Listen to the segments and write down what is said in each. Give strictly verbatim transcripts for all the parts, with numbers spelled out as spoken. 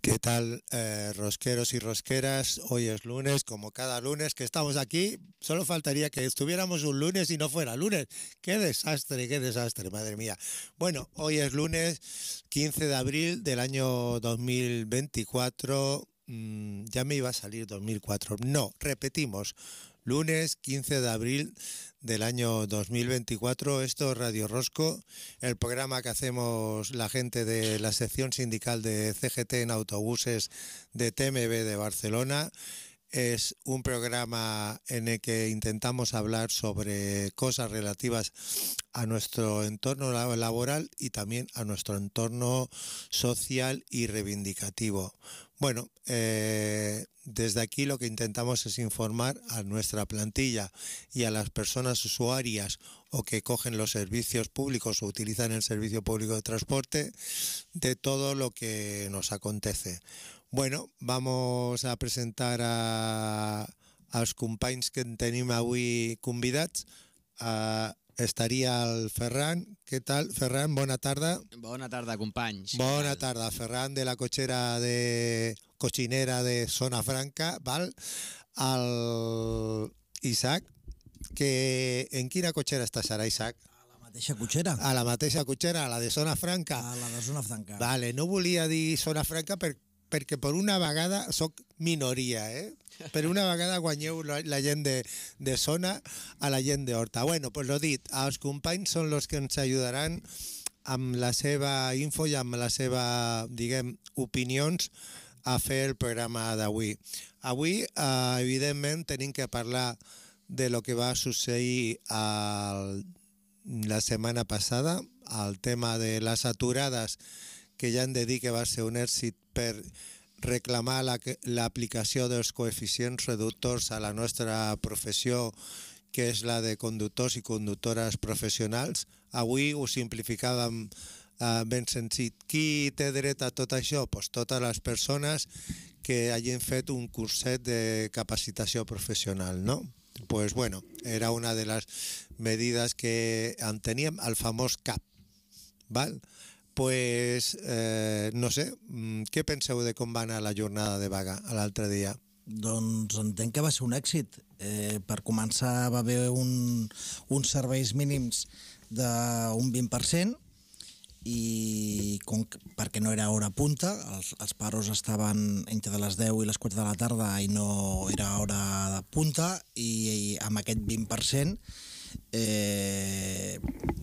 ¿Qué tal, eh, rosqueros y rosqueras? Hoy es lunes, como cada lunes que estamos aquí. Solo faltaría que estuviéramos un lunes y no fuera lunes. ¡Qué desastre, qué desastre, madre mía! Bueno, hoy es lunes quince de abril del año dos mil veinticuatro. Mm, ya me iba a salir dos mil cuatro. No, repetimos. Lunes quince de abril del año dos mil veinticuatro, esto es Radio Rosco, el programa que hacemos la gente de la sección sindical de C G T en autobuses de T M B de Barcelona. Es un programa en el que intentamos hablar sobre cosas relativas a nuestro entorno laboral y también a nuestro entorno social y reivindicativo. Bueno, eh, desde aquí lo que intentamos es informar a nuestra plantilla y a las personas usuarias o que cogen los servicios públicos o utilizan el servicio público de transporte de todo lo que nos acontece. Bueno, vamos a presentar a, als companys que en tenim avui convidats. Uh, estaria el Ferran. Què tal, Ferran? Bona tarda. Bona tarda, companys. Bona tarda, Ferran, de la cochera de cochinera de Zona Franca, val? El Isaac, que en quina cotxera estàs ara, Isaac? A la mateixa cotxera. A la mateixa cotxera, a la de Zona Franca. A la de Zona Franca. Vale, no volia dir Zona Franca per, perquè per una vegada soc minoria, eh? Per una vegada guanyeu la, la gent de, de Zona a la gent d'Horta. Bueno, pues lo dit, els companys són els que ens ajudaran amb la seva info i amb la seva, diguem, opinions a fer el programa d'avui. Avui, eh, evidentment, tenim que parlar de lo que va succeir al, la setmana passada, el tema de les aturades, que ja hem de dir que va ser un èxit per reclamar l'aplicació la, dels coeficients reductors a la nostra professió, que és la de conductors i conductores professionals. Avui ho simplificàvem eh, ben senzill. Qui té dret a tot això? Pues totes les persones que hagin fet un curset de capacitació professional, no? Pues bueno, era una de les medides que en teníem, el famós C A P, val? Pues, eh, no sé, què penseu de com va anar la jornada de vaga l'altre dia? Doncs entenc que va ser un èxit. Eh, per començar va haver un, uns serveis mínims d'un vint per cent i com, perquè no era hora punta, els, els paros estaven entre les deu i les quatre de la tarda i no era hora de punta, i, i amb aquest vint per cent eh,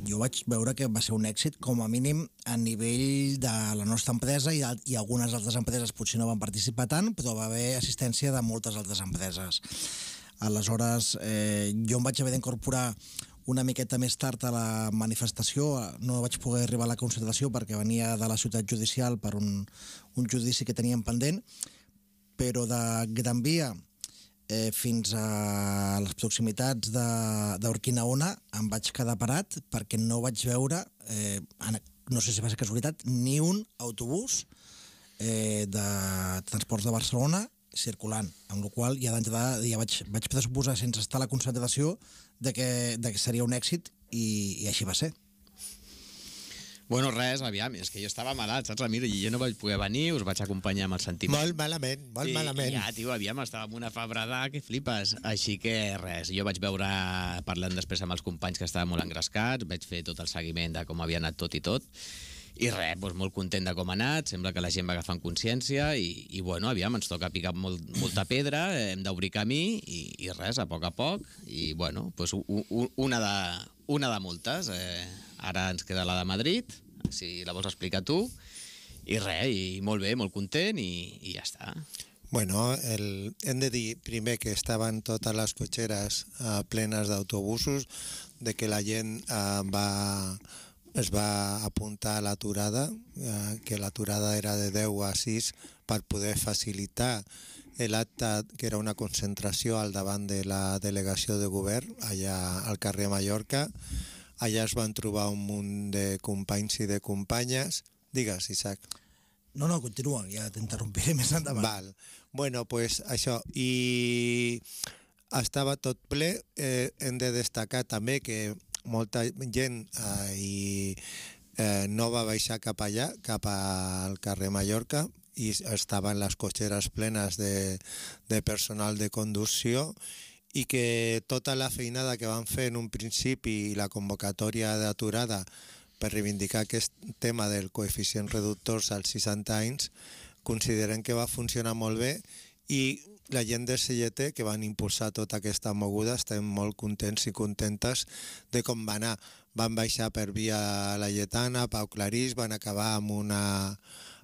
jo vaig veure que va ser un èxit com a mínim a nivell de la nostra empresa, i, i algunes altres empreses potser no van participar tant, però va haver assistència de moltes altres empreses. Aleshores, eh, jo em vaig haver d'incorporar una miqueta més tard a la manifestació. No vaig poder arribar a la concentració perquè venia de la ciutat judicial per un, un judici que teníem pendent, però de Gran Via eh, fins a les proximitats d'Urquinaona em vaig quedar parat perquè no vaig veure, eh, no sé si va ser casualitat, ni un autobús eh, de Transports de Barcelona circulant, amb la qual ja d'entrada ja vaig, vaig pressuposar sense estar a la concentració de que, de que seria un èxit, i, i així va ser. Bueno, res, aviam, és que jo estava malalt, saps, Ramiro? I jo no vaig poder venir, us vaig acompanyar amb el sentiment. Molt malament, molt I, malament. I ja, tio, aviam, estava amb una febrada que flipes. Així que res, jo vaig veure, parlant després amb els companys que estaven molt engrescats, vaig fer tot el seguiment de com havia anat tot i tot, i res, doncs molt content de com ha anat, sembla que la gent va agafant consciència i, i bueno, aviam, ens toca picar molt, molta pedra, hem d'obrir camí i, i res, a poc a poc, i bueno, doncs una de, una de moltes. Eh, ara ens queda la de Madrid, si la vols explicar tu, i res, i molt bé, molt content, i, i ja està. Bueno, el, hem de dir primer que estaven totes les cotxeres eh, plenes d'autobusos, de que la gent eh, va... es va apuntar a l'aturada, eh, que l'aturada era de deu a sis per poder facilitar l'acte, que era una concentració al davant de la delegació de govern allà al carrer Mallorca. Allà es van trobar un munt de companys i de companyes, Digues, Isaac. No, no, continua, ja t'interrompiré més endavant. Val. Bueno, pues això. I estava tot ple. Eh, hem de destacar també que molta gent eh, i, eh, no va baixar cap allà, cap al carrer Mallorca, i estaven les cotxeres plenes de, de personal de conducció, i que tota la feinada que van fer en un principi i la convocatòria d'aturada per reivindicar aquest tema del coeficient reductors als seixanta anys, consideren que va funcionar molt bé, i la gent del C G T, que van impulsar tota aquesta moguda, estem molt contents i contentes de com va anar. Van baixar per via Laietana, Pau Clarís, van acabar amb una,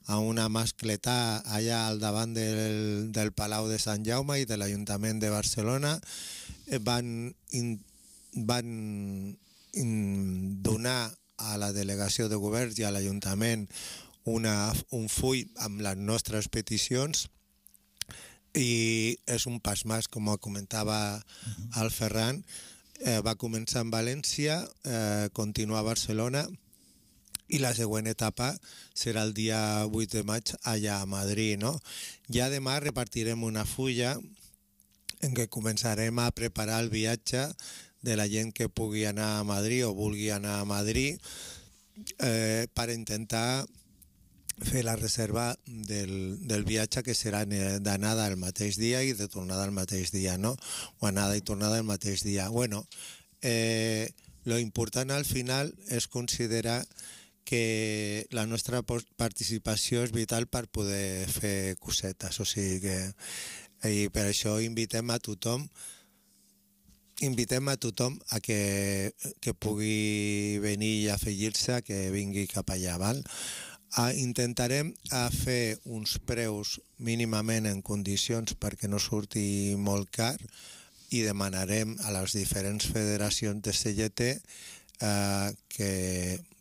amb una mascletà allà al davant del, del Palau de Sant Jaume i de l'Ajuntament de Barcelona. Van, in, van in, donar a la delegació de govern i a l'Ajuntament una, un full amb les nostres peticions, i és un pas més, com comentava el Ferran. Eh, va començar en València, eh, continua a Barcelona, i la següent etapa serà el dia vuit de maig allà a Madrid, no? Ja demà repartirem una fulla en què començarem a preparar el viatge de la gent que pugui anar a Madrid o vulgui anar a Madrid, eh, per intentar fer la reserva del, del viatge, que serà d'anada el mateix dia i de tornada el mateix dia, no? O anada i tornada el mateix dia. Bueno, eh, lo important al final és considerar que la nostra participació és vital per poder fer cosetes, o sigui que i per això invitem a tothom invitem a tothom a que, que pugui venir i afegir-se, que vingui cap allà, val? Ah, intentarem a fer uns preus mínimament en condicions perquè no surti molt car, i demanarem a les diferents federacions de C G T eh, que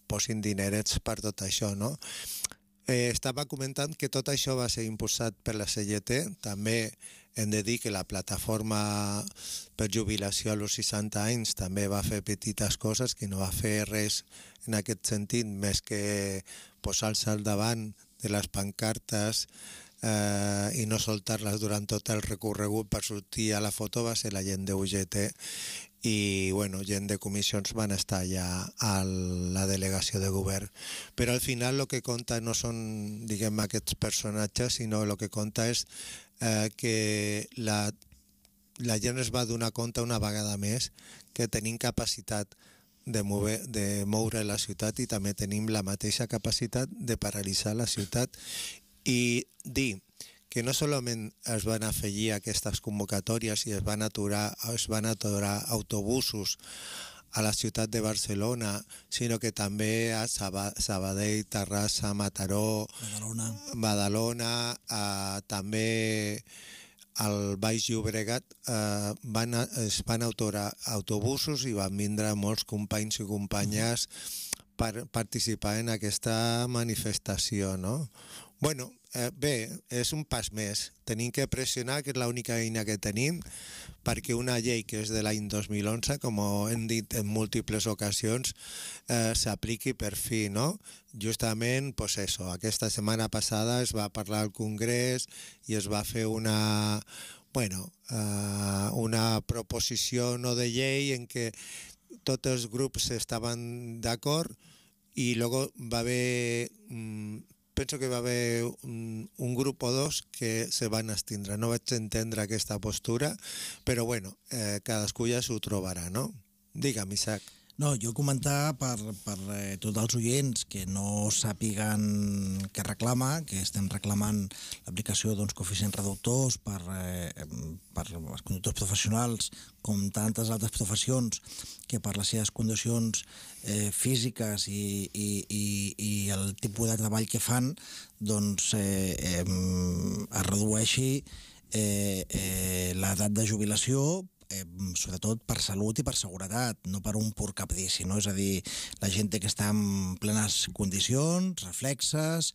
posin dinerets per tot això, no? Eh, estava comentant que tot això va ser impulsat per la C G T. També hem de dir que la plataforma per jubilació a los seixanta anys també va fer petites coses, que no va fer res en aquest sentit, més que posar-se al davant de les pancartes eh, i no soltar-les durant tot el recorregut per sortir a la foto. Va ser la gent de U G T, i bueno, gent de comissions van estar allà a la delegació de govern. Però al final el que compta no són, diguem, aquests personatges, sinó el que compta és eh, que la, la gent es va donar compte una vegada més que tenim capacitat de moure, de moure la ciutat, i també tenim la mateixa capacitat de paralitzar la ciutat, i dir que no solament es van afegir aquestes convocatòries i es van aturar, es van aturar autobusos a la ciutat de Barcelona, sinó que també a Sabadell, Terrassa, Mataró, Badalona, Badalona eh, també al Baix Llobregat eh, van, es van aturar autobusos, i van vindre molts companys i companyes per participar en aquesta manifestació, no? Bueno, eh, bé, és un pas més. Tenim que pressionar, que és l'única eina que tenim, perquè una llei que és de l'any dos mil onze, com hem dit en múltiples ocasions, eh, s'apliqui per fi, no? Justament, pues eso, aquesta setmana passada es va parlar al Congrés i es va fer una, bueno, eh, una proposició no de llei en què tots els grups estaven d'acord, i luego va haver... Mm, penso que va haver un, un grup o dos que se van abstindre. No vaig entendre aquesta postura, però bueno, eh, cadascú ja s'ho trobarà, no? Digue'm, Isaac. No, jo comentar per, per eh, tots els oients que no sàpiguen què reclama, que estem reclamant l'aplicació d'uns coeficients reductors per, eh, per els conductors professionals, com tantes altres professions, que per les seves condicions eh, físiques i, i, i, i el tipus de treball que fan, doncs eh, eh, es redueixi eh, eh, l'edat de jubilació, Eh, sobretot per salut i per seguretat, no per un pur caprici, no? És a dir, la gent que està en plenes condicions, reflexes,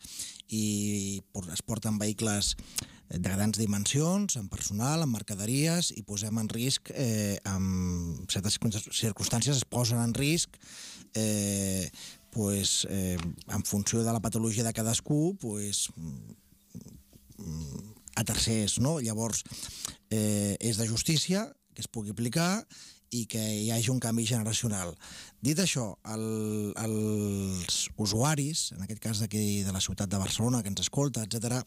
i es porten vehicles de grans dimensions, amb personal, amb mercaderies, i posem en risc, eh, en certes circumstàncies es posen en risc eh, pues, eh, en funció de la patologia de cadascú, pues, a tercers, no? Llavors, eh, és de justícia que es pugui aplicar i que hi hagi un canvi generacional. Dit això, el, els usuaris, en aquest cas d'aquí de la ciutat de Barcelona, que ens escolta, etcètera,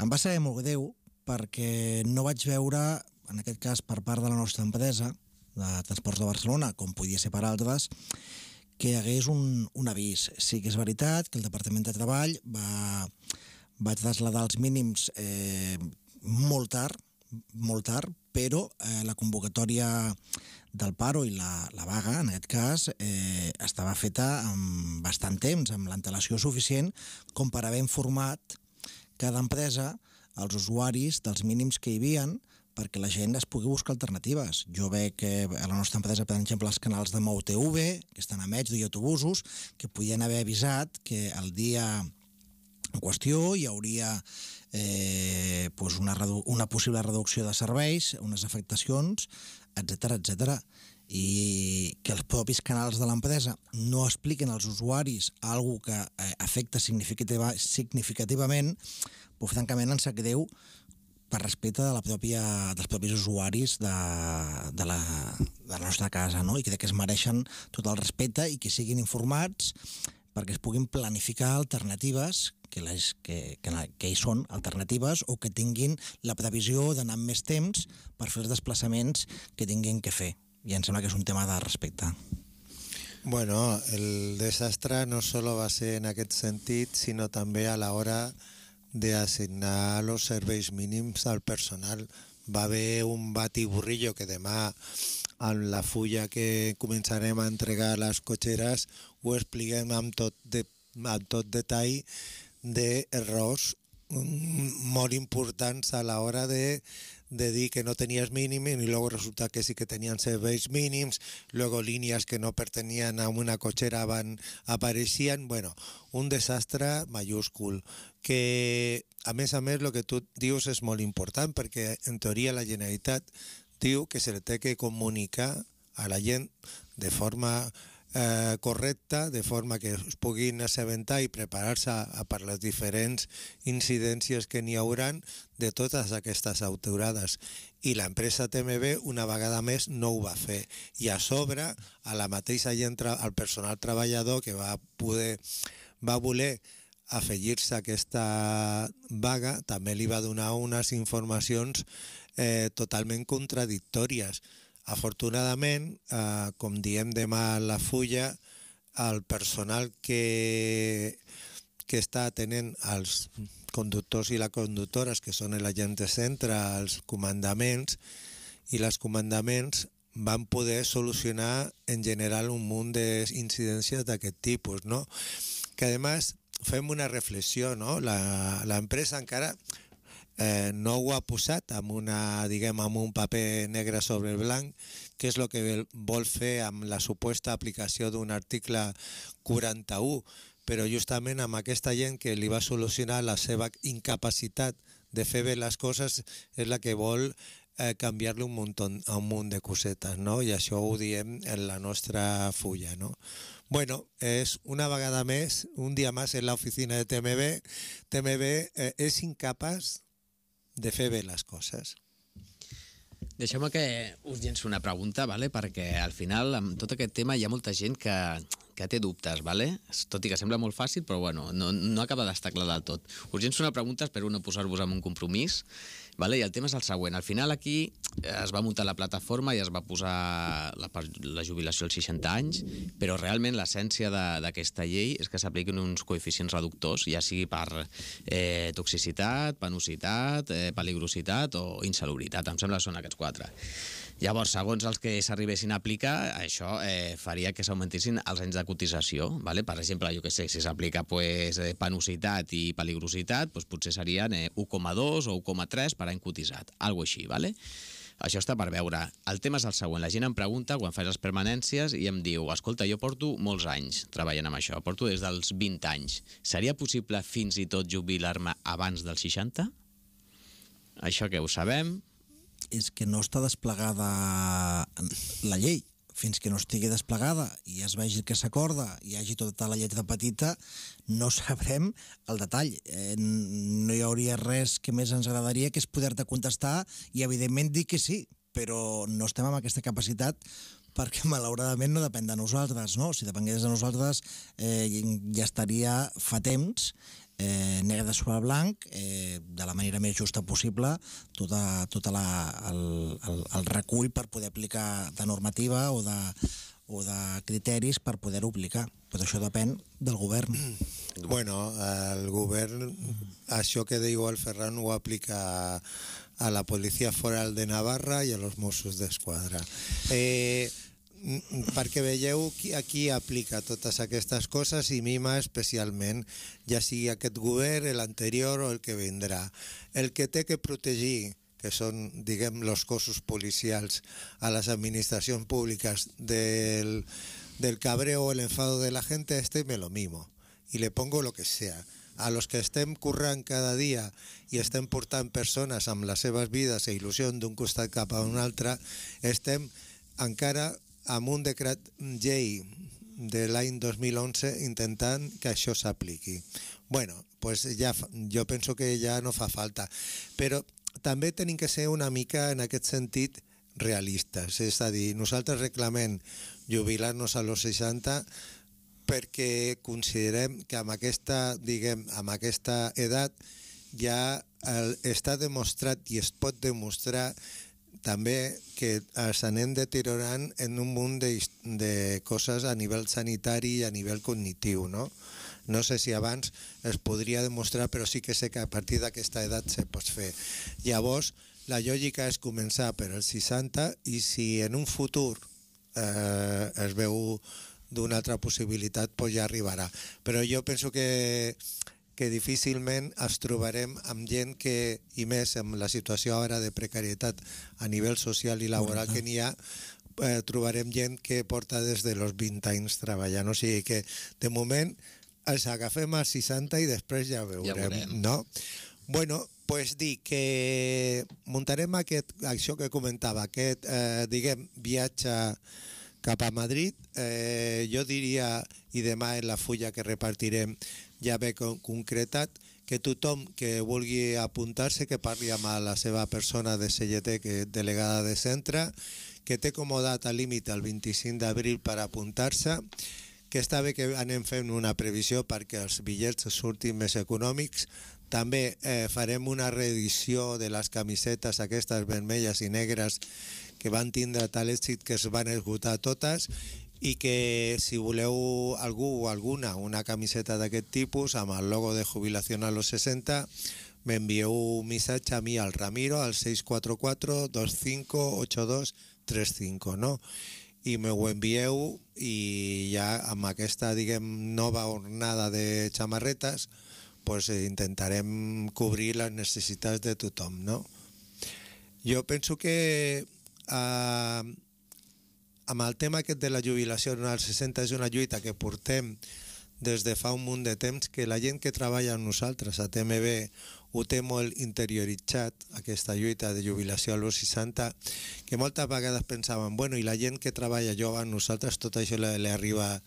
em va saber molt greu perquè no vaig veure, en aquest cas per part de la nostra empresa de Transports de Barcelona, com podia ser per altres, que hi hagués un, un avís. Sí que és veritat que el Departament de Treball va, va traslladar els mínims eh, molt tard, molt tard, però eh, la convocatòria del paro i la, la vaga, en aquest cas, eh, estava feta amb bastant temps, amb l'antelació suficient com per haver informat cada empresa als usuaris dels mínims que hi havien perquè la gent es pugui buscar alternatives. Jo veig que a la nostra empresa, per exemple, els canals de Mou T V, que estan a Metro i autobusos, que podien haver avisat que el dia en qüestió hi hauria eh, pues una, una possible reducció de serveis, unes afectacions, etcètera, etcètera. I que els propis canals de l'empresa no expliquen als usuaris alguna que eh, afecta significativa, significativament, pues, francament, ens sap greu per respecte de la pròpia, dels propis usuaris de, de, la, de la nostra casa, no? I crec que es mereixen tot el respecte i que siguin informats perquè es puguin planificar alternatives que, les, que, que, que hi són alternatives o que tinguin la previsió d'anar amb més temps per fer els desplaçaments que tinguin que fer. I em sembla que és un tema de respecte. Bueno, el desastre no solo va ser en aquest sentit, sinó també a l'hora de assignar los serveis mínims al personal. Va haver un batiburrillo que demà en la fulla que començarem a entregar a les cotxeres ho expliquem amb tot, de, amb tot detall d'errors molt importants a l'hora de de dir que no tenías mínimo y luego resulta que sí que tenían serveis mínims, luego líneas que no pertenían a una cochera van, apareixien, bueno, un desastre mayúscul, que a més a més el que tu dius és molt important perquè en teoria la Generalitat diu que se li té que comunicar a la gent de forma Eh, correcta, de forma que es puguin assabentar i preparar-se per les diferents incidències que n'hi hauran de totes aquestes aturades. I l'empresa T M B una vegada més no ho va fer. I a sobre, a la mateixa gent, al personal treballador que va poder, va voler afegir-se a aquesta vaga, també li va donar unes informacions eh, totalment contradictòries. Afortunadament, eh, com diem demà a la fulla, el personal que, que està atenent als conductors i les conductores, que són l'agent de centre, els comandaments, i les comandaments van poder solucionar en general un munt d'incidències d'aquest tipus, no? Que a més fem una reflexió, no? L'empresa encara Eh, no ho ha posat amb, una, diguem, amb un paper negre sobre el blanc, que és el que vol fer amb la suposta aplicació d'un article quaranta-u, però justament amb aquesta gent que li va solucionar la seva incapacitat de fer bé les coses és la que vol eh, canviar-li un munt, un munt de cosetes, no? I això ho diem en la nostra fulla, no? Bueno, és una vegada més, un dia més en l'oficina de T M B. T M B eh, és incapaç de fer bé les coses. Deixeu-me que us llenço una pregunta, vale? Perquè al final, amb tot aquest tema, hi ha molta gent que, que té dubtes, vale? Tot i que sembla molt fàcil, però bueno, no, no acaba d'estar clar del tot. Us llenço una pregunta, espero no posar-vos en un compromís, vale? I el tema és el següent. Al final aquí es va muntar la plataforma i es va posar la, la jubilació als seixanta anys, però realment l'essència d'aquesta llei és que s'apliquin uns coeficients reductors, ja sigui per eh, toxicitat, penositat, eh, peligrositat o insalubritat. Em sembla que són aquests quatre. Llavors, segons els que s'arribessin a aplicar, això eh, faria que s'augmentissin els anys de cotització. Vale? Per exemple, jo què sé, si s'aplica pues, penositat i peligrositat, pues, potser serien eh, u coma dos o u coma tres per any cotitzat, algo així, vale? Això està per veure. El tema és el següent. La gent em pregunta quan faig les permanències i em diu, escolta, jo porto molts anys treballant amb això, porto des dels vint anys. Seria possible fins i tot jubilar-me abans dels seixanta? Això que ho sabem. És que no està desplegada la llei. fins que no estigui desplegada i es vegi que s'acorda i hi hagi tota la lletra petita, no sabrem el detall. Eh, no hi hauria res que més ens agradaria que és poder-te contestar i, evidentment, dir que sí, però no estem amb aquesta capacitat perquè, malauradament, no depèn de nosaltres, no? Si depengués de nosaltres, eh, ja estaria fa temps, eh, negre sobre blanc, eh, de la manera més justa possible, tota, tota la, el, el, el recull per poder aplicar de normativa o de, o de criteris per poder-ho aplicar. Però això depèn del govern. Bueno, el govern, això que diu el Ferran ho aplica a la Policia Foral de Navarra i a los Mossos d'Esquadra. Eh, perquè veieu qui aquí aplica totes aquestes coses i mima especialment, ja sigui aquest govern, l'anterior o el que vindrà. El que té que protegir, que són, diguem, los cossos policials a les administracions públiques del, del cabreo o el enfado de la gente, este me lo mimo y le pongo lo que sea. A los que estem currant cada dia i estem portant persones amb les seves vides i il·lusió d'un costat cap a un altre, estem encara amb un decret llei de l'any dos mil onze intentant que això s'apliqui. Bueno, pues ja, jo penso que ja no fa falta, però també tenim que ser una mica en aquest sentit realistes, és a dir, nosaltres reclamem jubilar-nos a los seixanta perquè considerem que amb aquesta, diguem, amb aquesta edat ja el, està demostrat i es pot demostrar també que ens anem deteriorant en un munt de, de coses a nivell sanitari i a nivell cognitiu, no? No sé si abans es podria demostrar, però sí que sé que a partir d'aquesta edat se pot fer. Llavors, la lògica és començar per els seixanta i si en un futur eh, es veu d'una altra possibilitat, pues ja arribarà. Però jo penso que que difícilment ens trobarem amb gent que, i més amb la situació ara de precarietat a nivell social i laboral que n'hi ha, eh, trobarem gent que porta des de los vint anys treballant. O sigui que, de moment, els agafem als seixanta i després ja veurem, ja veurem. no? Bueno, pues dir que muntarem aquest, això que comentava, aquest, eh, diguem, viatge cap a Madrid. Eh, jo diria, i demà en la fulla que repartirem ja ve concretat, que tothom que vulgui apuntar-se, que parli amb la seva persona de C L T, que és delegada de centre, que té com a data límit el vint-i-cinc d'abril per apuntar-se, que està bé que anem fent una previsió perquè els bitllets surtin més econòmics. També eh, farem una reedició de les camisetes aquestes vermelles i negres que van tindre tal èxit que es van esgotar totes, i que si voleu algú o alguna una camiseta d'aquest tipus amb el logo de jubilació a los seixanta, m'envieu un missatge a mi, al Ramiro, al seis quatre quatre dos cinco ocho dos tres cinco, no? I me ho envieu i ja amb aquesta, diguem, nova ornada de xamarretes, pues intentarem cobrir les necessitats de tothom, no? Jo penso que eh, amb el tema aquest de la jubilació als seixanta és una lluita que portem des de fa un munt de temps, que la gent que treballa amb nosaltres a T M B ho té molt interioritzat, aquesta lluita de jubilació als seixanta, que moltes vegades pensaven, bueno, i la gent que treballa jove amb nosaltres tot això li, li arriba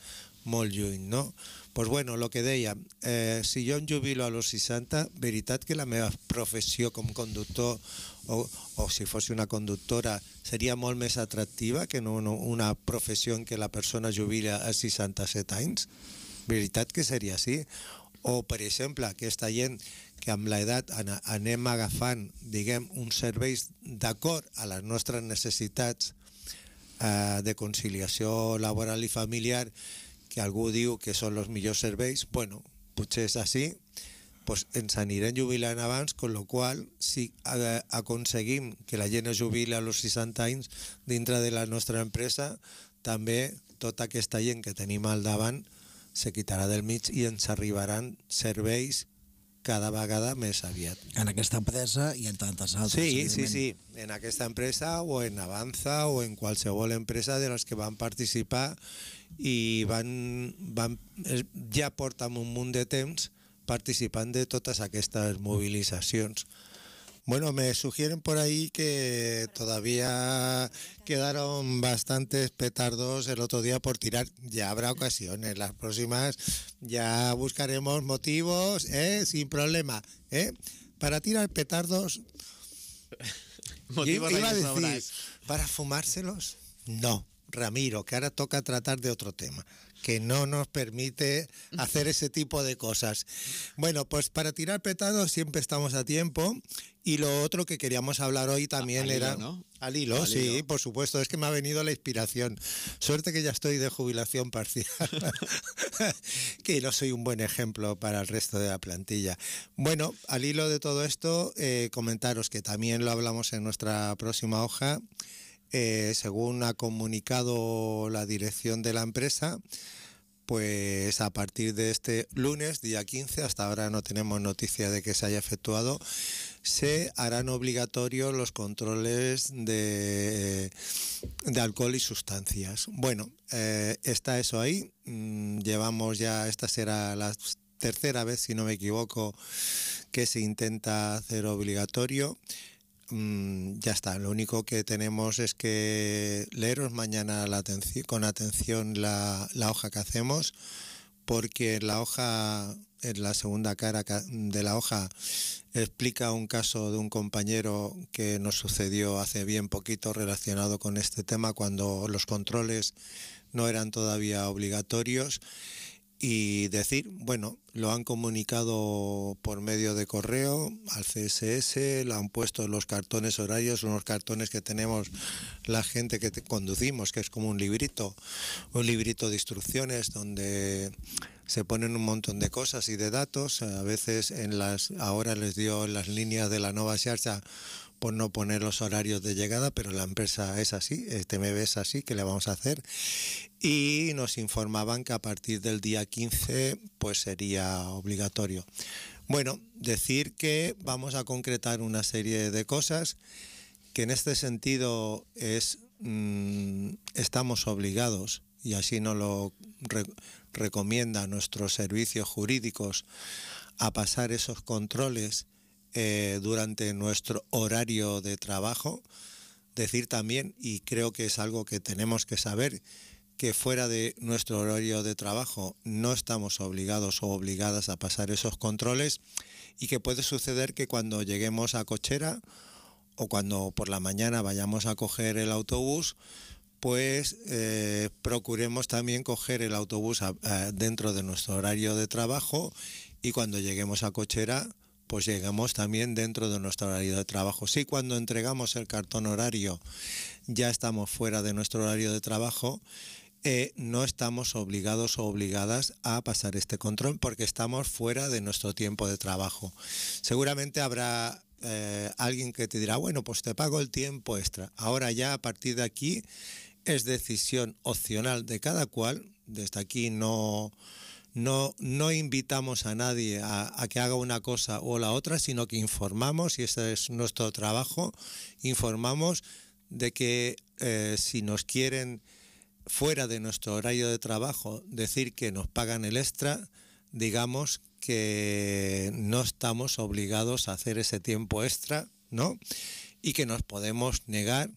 molt lluny, no? Doncs pues bueno, el que deia, eh, si jo em jubilo a los seixanta, veritat que la meva professió com conductor o, o si fos una conductora seria molt més atractiva que no una professió en què la persona jubila a seixanta-set anys? Veritat que seria així? O, per exemple, aquesta gent que amb l'edat anem agafant, diguem, uns serveis d'acord a les nostres necessitats eh, de conciliació laboral i familiar, que algú diu que són els millors serveis, bueno, potser és així, pues ens anirem jubilant abans, con lo qual, si aconseguim que la gent es jubili a los seixanta anys dintre de la nostra empresa, també tota aquesta gent que tenim al davant se quitarà del mig i ens arribaran serveis cada vegada més aviat. En aquesta empresa i en tantes altres. Sí, sí, sí, en aquesta empresa o en Avanza o en qualsevol empresa de les que van participar i van, van, ja porten un munt de temps participant de totes aquestes mobilitzacions. Bueno, me sugieren por ahí que todavía quedaron bastantes petardos el otro día por tirar. Ya habrá ocasiones, las próximas ya buscaremos motivos, ¿eh? Sin problema, ¿eh? Para tirar petardos. Motivos Iba a hay de decir, sobras. ¿para fumárselos? No, Ramiro, que ahora toca tratar de otro tema, que no nos permite hacer ese tipo de cosas. Bueno, pues para tirar petardos siempre estamos a tiempo. Y lo otro que queríamos hablar hoy también Al hilo, era... ¿no? Al hilo, Al sí, hilo. por supuesto, es que me ha venido la inspiración. Suerte que ya estoy de jubilación parcial, que no soy un buen ejemplo para el resto de la plantilla. Bueno, al hilo de todo esto, eh, comentaros que también lo hablamos en nuestra próxima hoja. Eh, según ha comunicado la dirección de la empresa, pues a partir de este lunes, día quince, hasta ahora no tenemos noticia de que se haya efectuado, se harán obligatorios los controles de, de alcohol y sustancias. Bueno, eh, está eso ahí. Mm, llevamos ya, esta será la tercera vez, si no me equivoco, que se intenta hacer obligatorio. Mm, ya está, lo único que tenemos es que leeros mañana la atenci- con atención la, la hoja que hacemos, porque en la hoja, en la segunda cara ca- de la hoja, explica un caso de un compañero que nos sucedió hace bien poquito relacionado con este tema, cuando los controles no eran todavía obligatorios. Y decir, bueno, lo han comunicado por medio de correo al C S S, lo han puesto en los cartones horarios, unos cartones que tenemos la gente que te conducimos, que es como un librito, un librito de instrucciones donde se ponen un montón de cosas y de datos. A veces en las, ahora les dio en las líneas de la Nova Xarxa por no poner los horarios de llegada, pero la empresa es así, este me ves así, ¿qué le vamos a hacer? Y nos informaban que a partir del día quince pues sería obligatorio. Bueno, decir que vamos a concretar una serie de cosas que en este sentido es mmm, estamos obligados, y así nos lo re- recomiendan nuestros servicios jurídicos, a pasar esos controles eh, durante nuestro horario de trabajo. Decir también, y creo que es algo que tenemos que saber, que fuera de nuestro horario de trabajo no estamos obligados o obligadas a pasar esos controles, y que puede suceder que cuando lleguemos a cochera o cuando por la mañana vayamos a coger el autobús, pues eh, procuremos también coger el autobús a, a, dentro de nuestro horario de trabajo, y cuando lleguemos a cochera pues llegamos también dentro de nuestro horario de trabajo. Si cuando entregamos el cartón horario ya estamos fuera de nuestro horario de trabajo, eh, no estamos obligados o obligadas a pasar este control porque estamos fuera de nuestro tiempo de trabajo. Seguramente habrá eh, alguien que te dirá, bueno, pues te pago el tiempo extra. Ahora ya a partir de aquí es decisión opcional de cada cual. Desde aquí no... No, no invitamos a nadie a, a que haga una cosa o la otra, sino que informamos, y ese es nuestro trabajo, informamos de que eh, si nos quieren fuera de nuestro horario de trabajo decir que nos pagan el extra, digamos que no estamos obligados a hacer ese tiempo extra, ¿no? Y que nos podemos negar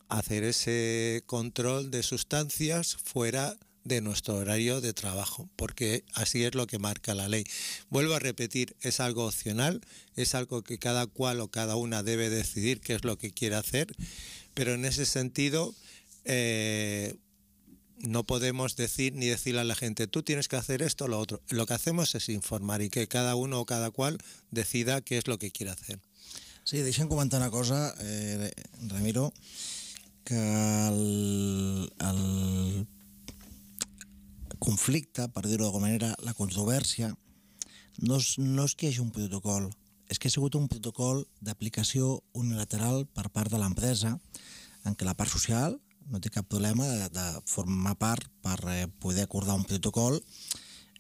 a hacer ese control de sustancias fuera de nuestro horario de trabajo, porque así es lo que marca la ley. Vuelvo a repetir, es algo opcional, es algo que cada cual o cada una debe decidir qué es lo que quiere hacer, pero en ese sentido eh, no podemos decir ni decirle a la gente, tú tienes que hacer esto o lo otro. Lo que hacemos es informar y que cada uno o cada cual decida qué es lo que quiere hacer. Sí, deixa'm comentar una cosa, eh, Ramiro, que el, el conflicte, per dir-ho d'alguna manera, la controvèrsia, no és, no és que hi hagi un protocol, és que ha sigut un protocol d'aplicació unilateral per part de l'empresa, en què la part social no té cap problema de, de formar part per eh, poder acordar un protocol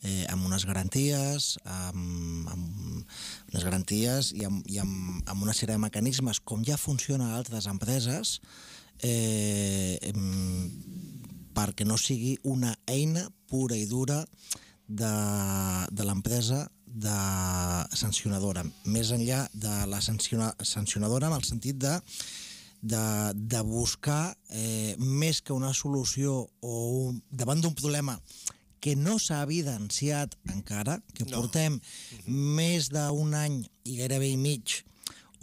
eh, amb unes garanties, amb, amb unes garanties i, amb, i amb, amb una sèrie de mecanismes, com ja funciona a altres empreses, eh, perquè no sigui una eina pura i dura de, de l'empresa de sancionadora, més enllà de la sanciona, sancionadora en el sentit de, de, de buscar eh, més que una solució o un, davant d'un problema que no s'ha evidenciat encara, que No. portem més d'un any i gairebé i mig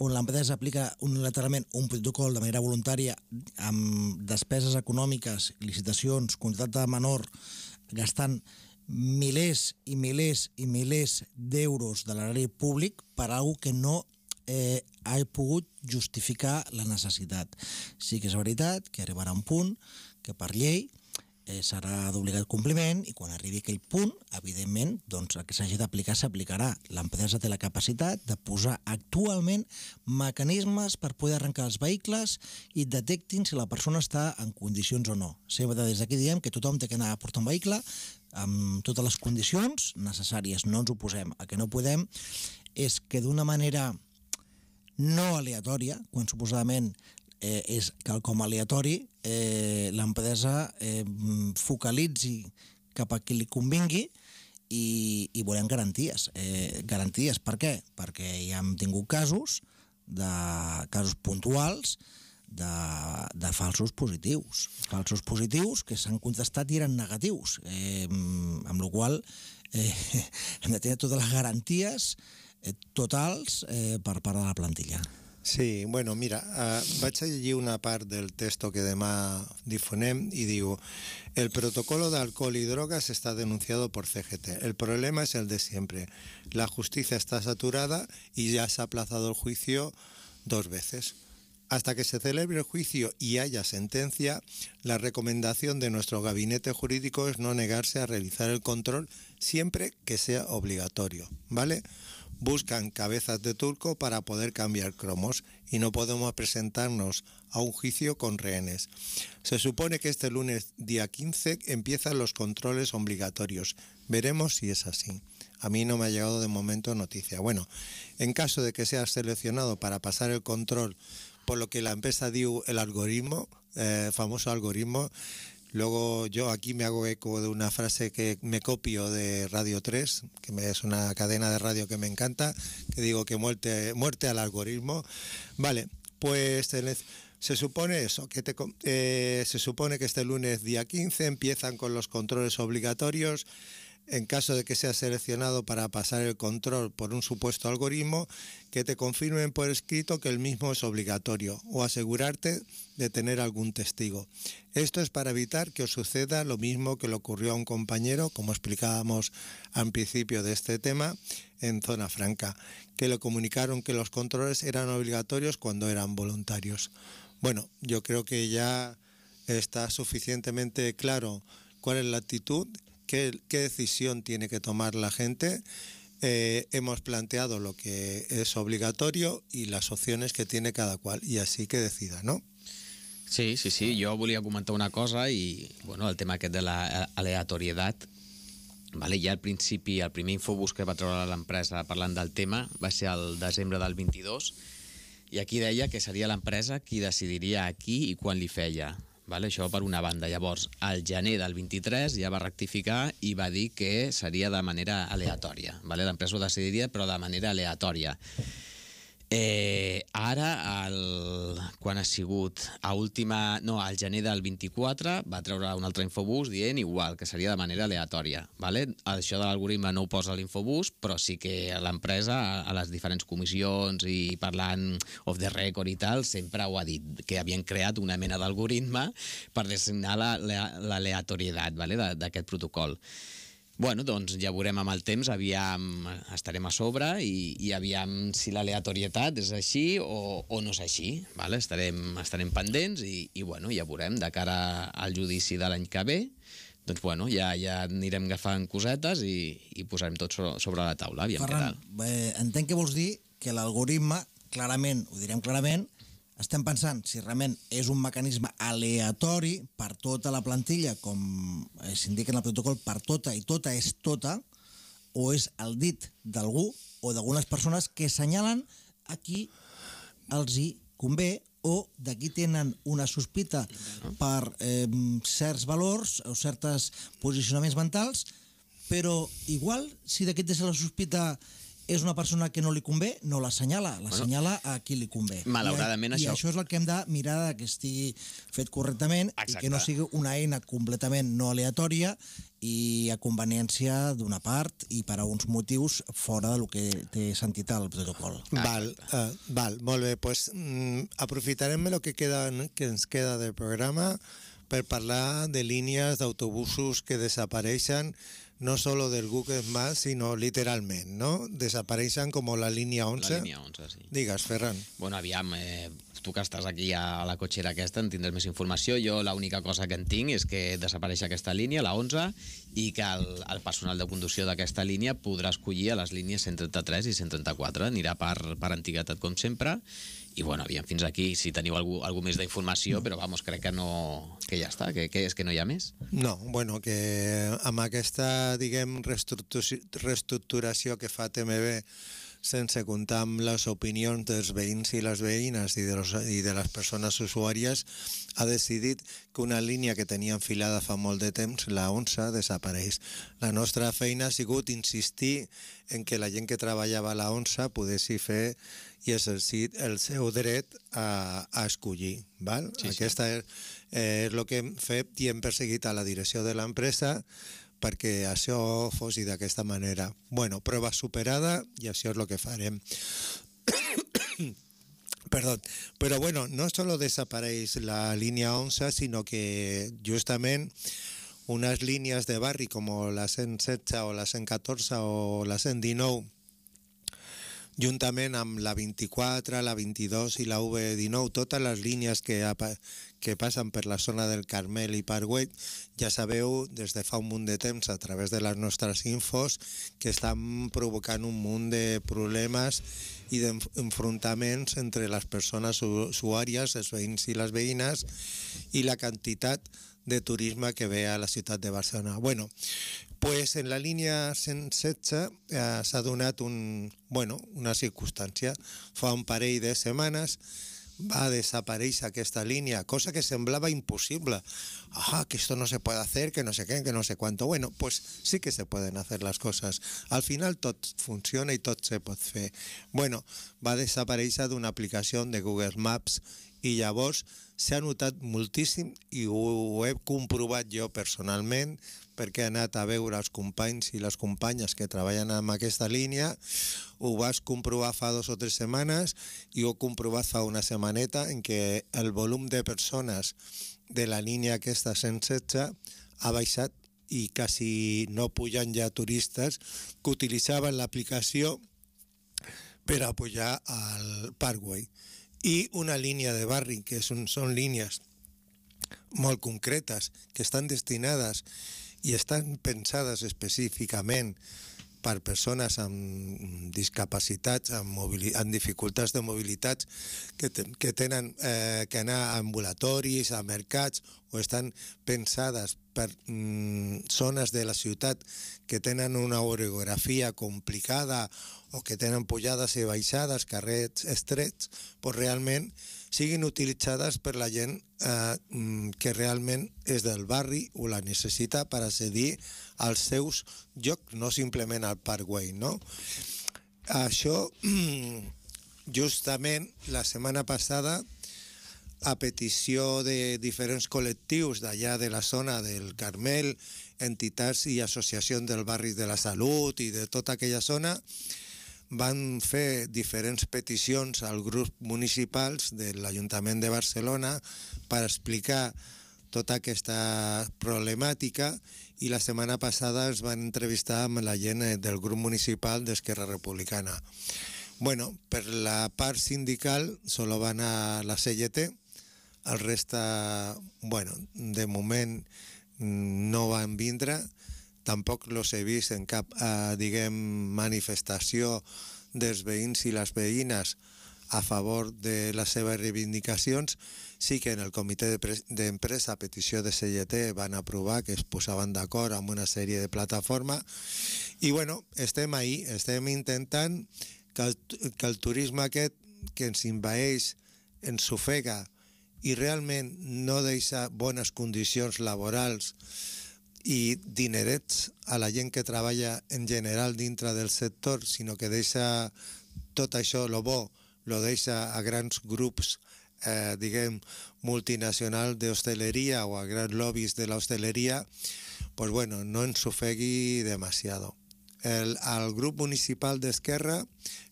on l'empresa aplica unilateralment un protocol de manera voluntària amb despeses econòmiques, licitacions, contracte menor, gastant milers i milers i milers d'euros de l'erari públic per a alguna que no eh, ha pogut justificar la necessitat. Sí que és veritat que arribarà un punt que per llei eh, serà d'obligat compliment i quan arribi aquell punt, evidentment, doncs el que s'hagi d'aplicar s'aplicarà. L'empresa té la capacitat de posar actualment mecanismes per poder arrencar els vehicles i detectin si la persona està en condicions o no. Sempre des d'aquí diem que tothom té que anar a portar un vehicle amb totes les condicions necessàries, no ens ho posem. El que no podem és que d'una manera no aleatòria, quan suposadament eh, és quelcom aleatori, eh, l'empresa eh, focalitzi cap a qui li convingui i, i volem garanties. Eh, garanties per què? Perquè ja hem tingut casos, de casos puntuals, de, de falsos positius. Falsos positius que s'han contestat i eren negatius, eh, amb la qual cosa eh, hem de tenir totes les garanties eh, totals eh, per part de la plantilla. Sí, bueno, mira, uh, vaig a llegir una part del texto que demà difonem y digo, el protocolo de alcohol y drogas está denunciado por C G T. El problema es el de siempre. La justicia está saturada y ya se ha aplazado el juicio dos veces. Hasta que se celebre el juicio y haya sentencia, la recomendación de nuestro gabinete jurídico es no negarse a realizar el control siempre que sea obligatorio, ¿vale? Buscan cabezas de turco para poder cambiar cromos y no podemos presentarnos a un juicio con rehenes. Se supone que este lunes día quince empiezan los controles obligatorios. Veremos si es así. A mí no me ha llegado de momento noticia. Bueno, en caso de que seas seleccionado para pasar el control, por lo que la empresa dio el algoritmo, eh, famoso algoritmo, luego yo aquí me hago eco de una frase que me copio de Radio tres, que es una cadena de radio que me encanta, que digo que muerte, muerte al algoritmo. Vale, pues se supone eso, que te, eh, se supone que este lunes día quince empiezan con los controles obligatorios. En caso de que seas seleccionado para pasar el control por un supuesto algoritmo, que te confirmen por escrito que el mismo es obligatorio o asegurarte de tener algún testigo. Esto es para evitar que os suceda lo mismo que le ocurrió a un compañero, como explicábamos al principio de este tema, en Zona Franca, que le comunicaron que los controles eran obligatorios cuando eran voluntarios. Bueno, yo creo que ya está suficientemente claro cuál es la actitud. ¿Qué, qué decisión tiene que tomar la gente? Eh, hemos planteado lo que es obligatorio y las opciones que tiene cada cual, y así que decida, ¿no? Sí, sí, sí. Jo volia comentar una cosa i, bueno, el tema aquest de l'aleatorietat. Vale, ja al principi, el primer infobús que va treure l'empresa parlant del tema va ser el desembre del vint-i-dos, i aquí deia que seria l'empresa qui decidiria a qui i quan li feia. Vale, això per una banda. Llavors, al gener del vint-i-tres ja va rectificar i va dir que seria de manera aleatòria. Vale? L'empresa ho decidiria, però de manera aleatòria. Eh, ara, el, quan ha sigut a última, no, al gener del vint-i-quatre va treure un altre infobús dient igual, que seria de manera aleatòria. Vale? Això de l'algoritme no ho posa a l'infobús, però sí que l'empresa, a les diferents comissions i parlant off the record i tal, sempre ho ha dit, que havien creat una mena d'algoritme per designar l'aleatorietat, vale? d'aquest protocol. Bueno, doncs ja veurem amb el temps, aviam estarem a sobre i, i aviam si l'aleatorietat és així o, o no és així. Vale? Estarem, estarem pendents i, i bueno, ja veurem de cara al judici de l'any que ve. Doncs bueno, ja, ja anirem agafant cosetes i, i posarem tot sobre, sobre la taula. Aviam Ferran, què tal. eh, entenc que vols dir que l'algoritme, clarament, ho direm clarament, estem pensant si realment és un mecanisme aleatori per tota la plantilla, com s'indica en el protocol, per tota i tota és tota, o és el dit d'algú o d'algunes persones que assenyalen a qui els hi convé o d'aquí tenen una sospita per eh, certs valors o certs posicionaments mentals però igual, si d'aquest és la sospita és una persona que no li convé, no l'assenyala, l'assenyala a qui li convé. Malauradament, I, això... I això és el que hem de mirar que estigui fet correctament. Exacte. I que no sigui una eina completament no aleatòria i a conveniència d'una part i per a uns motius fora del que té sentit el protocol. Val, uh, val, molt bé. Pues, mm, aprofitarem el que, queda, que ens queda del programa per parlar de línies d'autobusos que desapareixen no solo del Google Maps, sino literalment, ¿no? Desapareixen com la línia onze. La línia onze, sí. Digues, Ferran. Bueno, aviam, eh, tu que estàs aquí a la cotxera aquesta en tindràs més informació. Jo l'única cosa que en tinc és que desapareix aquesta línia, la onze, i que el, el personal de conducció d'aquesta línia podrà escollir a les línies cent trenta-tres i cent trenta-quatre. Anirà per, per antiguitat, com sempre. I, bueno, aviam, fins aquí, si teniu algú, algú més d'informació, però, vamos, crec que no... que ja està, que, que és que no hi ha més. No, bueno, que amb aquesta, diguem, reestructuració que fa T M B, sense comptar amb les opinions dels veïns i les veïnes i de, los, i de les persones usuàries, ha decidit que una línia que tenia enfilada fa molt de temps, la onze, desapareix. La nostra feina ha sigut insistir en que la gent que treballava a la onze poguessi fer i exercir el seu dret a, a escollir. Val? Sí, Aquesta sí. és, eh, és el que hem fet i hem perseguit a la direcció de l'empresa perquè això fos d'aquesta manera. Bueno, prova superada i això és el que farem. Perdó. Però bueno, no solo desapareix la línia onze, sinó que justament unes línies de barri com la cent setze o la cent catorze o la cent dinou, juntament amb la vint-i-quatre, la vint-i-dos i la U V dinou, totes les línies que, que passen per la zona del Carmel i Parkway, ja sabeu des de fa un munt de temps a través de les nostres infos que estan provocant un munt de problemes i d'enfrontaments entre les persones usuàries, els veïns i les veïnes, i la quantitat de turisme que ve a la ciutat de Barcelona. Bueno, pues en la línia cent setze eh, s'ha donat un, bueno, una circumstància. Fa un parell de setmanes va desaparèixer aquesta línia, cosa que semblava imposible. Ah, que esto no se puede hacer, que no sé qué, que no sé cuánto. Bueno, pues sí que se pueden hacer las cosas. Al final tot funciona i tot se pot fer. Bueno, va desaparèixer d'una aplicació de Google Maps i llavors s'ha notat moltíssim i ho he comprovat jo personalment perquè he anat a veure els companys i les companyes que treballen amb aquesta línia. Ho vas comprovar fa dos o tres setmanes i ho he comprovat fa una setmaneta en què el volum de persones de la línia aquesta cent setze ha baixat i quasi no pujan ja turistes que utilitzaven l'aplicació per a pujar al Parkway. I una línia de barri, que són, són línies molt concretes, que estan destinades i estan pensades específicament per persones amb discapacitats, amb, amb dificultats de mobilitat, que, ten, que tenen eh, que anar a ambulatoris, a mercats, o estan pensades per mm, zones de la ciutat que tenen una orografia complicada o que tenen pujades i baixades, carrers estrets, doncs realment siguin utilitzades per la gent eh, que realment és del barri o la necessita per accedir als seus llocs, no simplement al Parkway, no? Això, justament, la setmana passada, a petició de diferents col·lectius d'allà de la zona del Carmel, entitats i associacions del barri de la Salut i de tota aquella zona, van fer diferents peticions als grups municipals de l'Ajuntament de Barcelona per explicar tota aquesta problemàtica i la setmana passada es van entrevistar amb la gent del grup municipal d'Esquerra Republicana. Bueno, per la part sindical solo van a la C G T, el reste, bueno, de moment no van vindre, tampoc los he vist en cap, eh, diguem, manifestació dels veïns i les veïnes a favor de les seves reivindicacions. Sí que en el comitè d'empresa a petició de C G T van aprovar que es posaven d'acord amb una sèrie de plataformes i bueno, estem ahí, estem intentant que el, que el turisme aquest que ens envaeix, ens ofega i realment no deixa bones condicions laborals i dinerets a la gent que treballa en general dintre del sector, sinó que deixa tot això, lo bo, lo deixa a grans grups, eh, diguem, multinacionals d'hostaleria o a grans lobbies de l'hostaleria, pues bueno, no ens ofegui demasiado. El, al grup municipal d'Esquerra,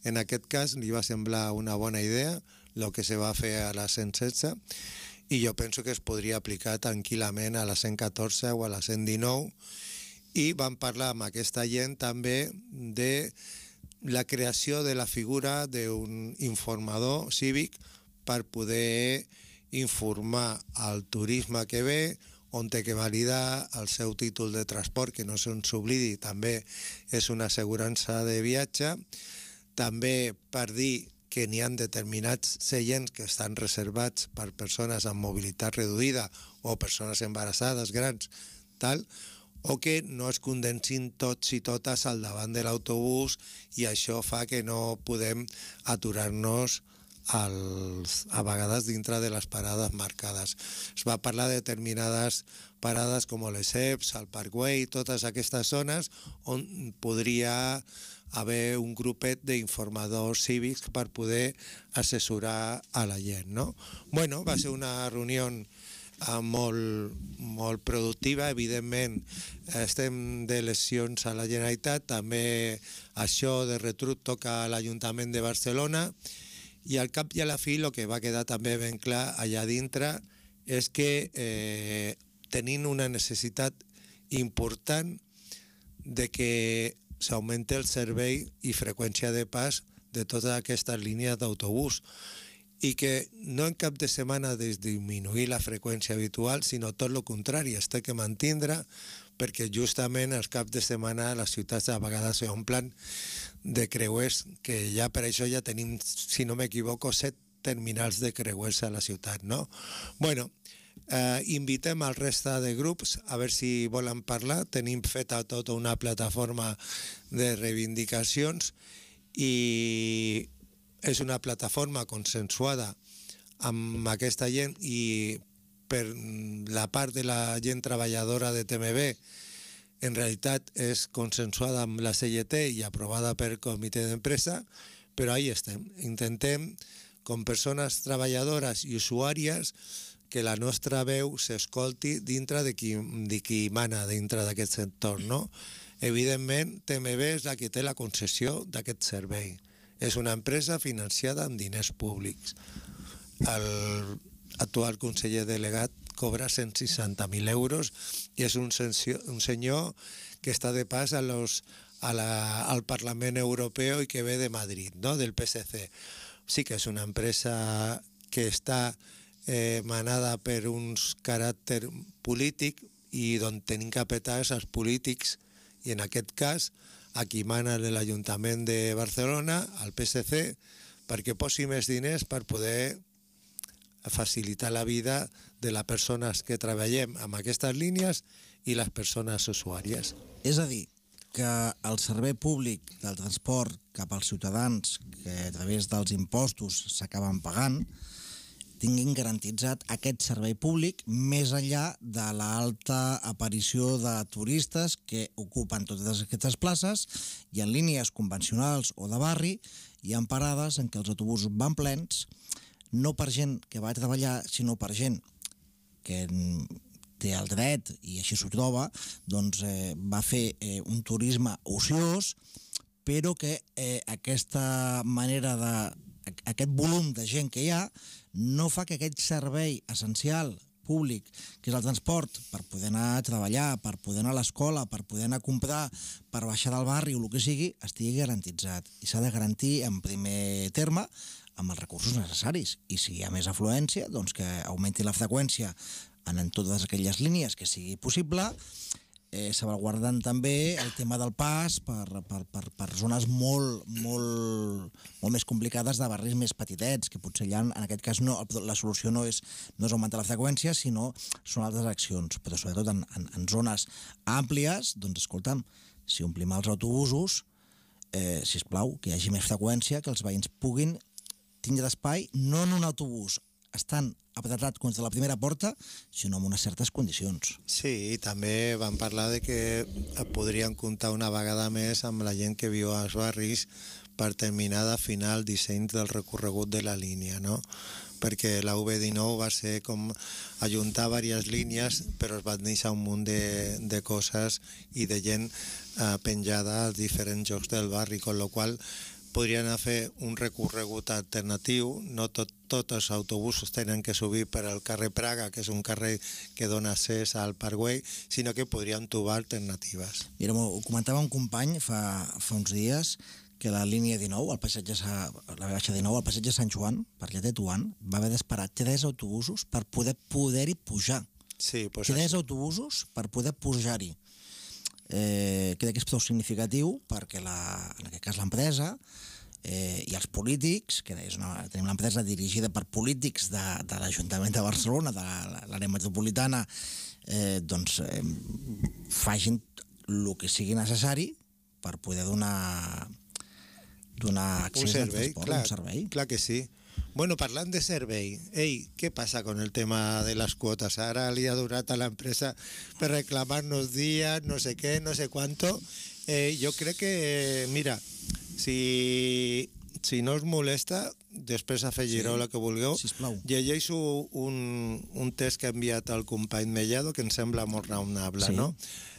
en aquest cas, li va semblar una bona idea el que se va fer a la cent setze, i jo penso que es podria aplicar tranquil·lament a la cent catorze o a la cent dinou, i vam parlar amb aquesta gent també de la creació de la figura d'un informador cívic per poder informar al turisme que ve, on té que validar el seu títol de transport, que no se'ns oblidi, també és una assegurança de viatge, també per dir que n'hi ha determinats seients que estan reservats per persones amb mobilitat reduïda o persones embarassades, grans, tal, o que no es condensin tots i totes al davant de l'autobús, i això fa que no podem aturar-nos als, a vegades dintre de les parades marcades. Es va parlar de determinades parades com les E P S, el Parkway, totes aquestes zones on podria haver un grupet d'informadors cívics per poder assessorar a la gent, no? Bueno, va ser una reunió eh, molt, molt productiva. Evidentment, estem d'eleccions a la Generalitat, també això de retruc toca a l'Ajuntament de Barcelona, i al cap i a la fi el que va quedar també ben clar allà dintre és que eh, tenim una necessitat important de que s'augmenta el servei i freqüència de pas de totes aquestes línies d'autobús, i que no en cap de setmana disminuir la freqüència habitual, sinó tot el contrari, es té que mantindre, perquè justament els caps de setmana les ciutats a vegades s'omplen de creuers, que ja per això ja tenim, si no m'equivoco, set terminals de creuers a la ciutat, no? Bueno, Eh, invitem al resta de grups a veure si volen parlar. Tenim feta tota una plataforma de reivindicacions i és una plataforma consensuada amb aquesta gent, i per la part de la gent treballadora de T M B en realitat és consensuada amb la C G T i aprovada per comitè d'empresa, però ahí estem. Intentem, com persones treballadores i usuàries, que la nostra veu s'escolti dintre de qui, de qui mana dintre d'aquest sector, no? Evidentment, T M B és la que té la concessió d'aquest servei. És una empresa financiada amb diners públics. L'actual conseller delegat cobra cent seixanta mil euros i és un, sencio, un senyor que està de pas a los, a la, al Parlament Europeu i que ve de Madrid, no? Del P S C. Sí que és una empresa que està Eh, manada per uns caràcter polític i d'on tenim que apetar els polítics, i en aquest cas a qui mana l'Ajuntament de Barcelona, al P S C, perquè posi més diners per poder facilitar la vida de les persones que treballem amb aquestes línies i les persones usuàries. És a dir, que el servei públic del transport cap als ciutadans, que a través dels impostos s'acaben pagant, tinguin garantitzat aquest servei públic més enllà de l'alta aparició de turistes que ocupen totes aquestes places, i en línies convencionals o de barri hi ha parades en què els autobusos van plens, no per gent que va a treballar, sinó per gent que té el dret, i així s'ho troba, doncs eh, va fer eh, un turisme ociós, però que eh, aquesta manera de aquest volum de gent que hi ha no fa que aquest servei essencial públic, que és el transport, per poder anar a treballar, per poder anar a l'escola, per poder anar a comprar, per baixar del barri o el que sigui, estigui garantitzat. I s'ha de garantir en primer terme amb els recursos necessaris. I si hi ha més afluència, doncs que augmenti la freqüència en totes aquelles línies que sigui possible, eh, salvaguardant també el tema del pas per, per, per, per zones molt, molt, molt més complicades de barris més petitets, que potser ja en aquest cas no, la solució no és, no és augmentar la freqüència, sinó són altres accions, però sobretot en, en, en zones àmplies, doncs escolta'm, si omplim els autobusos, eh, sisplau, que hi hagi més freqüència, que els veïns puguin tindre espai, no en un autobús estan apretats contra la primera porta, sinó amb unes certes condicions. Sí, i també van parlar de que podrien comptar una vegada més amb la gent que viu als barris per terminar d'afinar el disseny del recorregut de la línia, no? Perquè la U B dinou va ser com ajuntar diverses línies, però es van deixar un munt de, de coses i de gent eh, penjada als diferents llocs del barri, con lo qual podrien fer un recorregut alternatiu. No tot, tots els autobusos tenen que subir per al carrer Praga, que és un carrer que dona accés al Parkway, sinó que podrien trobar alternatives. Mira, ho comentava un company fa, fa uns dies, que la línia dinou, el passatge, la baixa dinou, el passatge Sant Joan, per allà de Tuan, va haver d'esperar tres autobusos per poder poder-hi pujar. Sí, pues tres això. autobusos per poder pujar-hi. Eh, crec que és prou significatiu perquè la, en aquest cas l'empresa eh, i els polítics, que és una, tenim l'empresa dirigida per polítics de, de l'Ajuntament de Barcelona, de l'àrea metropolitana, eh, doncs eh, facin el que sigui necessari per poder donar donar accés un servei, al transport, clar, un servei. Clar que sí. Bueno, parlant de servei, ei, què passa con el tema de les quotes? Ara li ha donat a l'empresa per reclamar-nos dies, no sé què, no sé quanto. Eh, jo crec que, mira, si, si no us molesta, després afegireu sí, la que vulgueu, sisplau. Llegeixo un, un test que ha enviat el company Mellado, que em sembla molt raonable, sí. ¿no?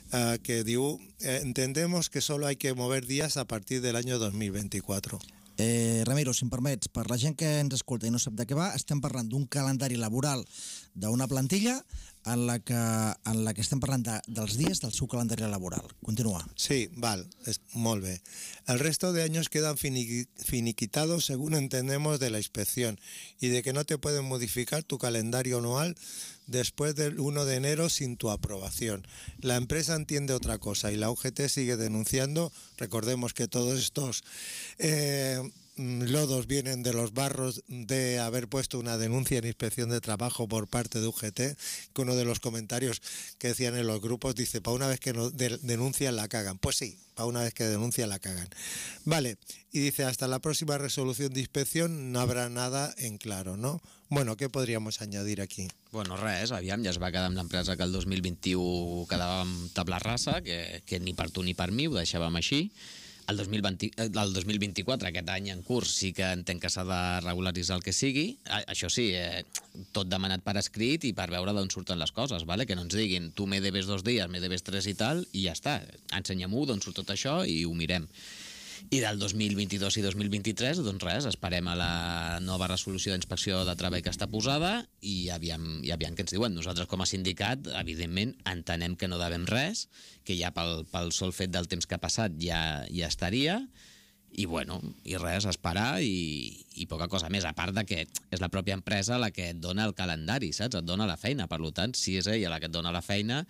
Uh, que diu, eh, entendemos que solo hay que mover días a partir del año dos mil veinticuatro. Eh, Ramiro, si em permets, per la gent que ens escolta i no sap de què va, estem parlant d'un calendari laboral d'una plantilla en la que, en la que estem parlant de, dels dies del seu calendari laboral. Continua. Sí, val, es, molt bé. El resto de años quedan fini, finiquitados según entendemos de la inspección y de que no te pueden modificar tu calendario anual después del uno de enero sin tu aprobación. La empresa entiende otra cosa y la U G T sigue denunciando. Recordemos que todos estos eh, lodos vienen de los barros de haber puesto una denuncia en inspección de trabajo por parte de U G T, que uno de los comentarios que decían en los grupos dice, para una vez que no de, denuncian la cagan. Pues sí, para una vez que denuncian la cagan. Vale, y dice, hasta la próxima resolución de inspección no habrá nada en claro, ¿no? Bueno, què podríamos añadir aquí? Bueno, res, aviam, ja es va quedar amb l'empresa que el dos mil vint-i-u quedava amb tabla rasa, que, que ni per tu ni per mi ho deixàvem així. El dos mil vint, el dos mil vint-i-quatre, aquest any en curs, sí que entenc que s'ha de regularitzar el que sigui. Això sí, eh, tot demanat per escrit i per veure d'on surten les coses, vale? Que no ens diguin tu me debes dos dies, me debes tres i tal, i ja està. Ensenya-m'ho d'on surt tot això i ho mirem. I del dos mil vint-i-dos i dos mil vint-i-tres, doncs res, esperem a la nova resolució d'inspecció de treball que està posada i aviam, i aviam què ens diuen. Nosaltres, com a sindicat, evidentment, entenem que no devem res, que ja pel, pel sol fet del temps que ha passat ja, ja estaria, i bueno, i res, esperar i, i poca cosa més, a part de que és la pròpia empresa la que et dona el calendari, saps? Et dona la feina, per tant, si és ella la que et dona la feina,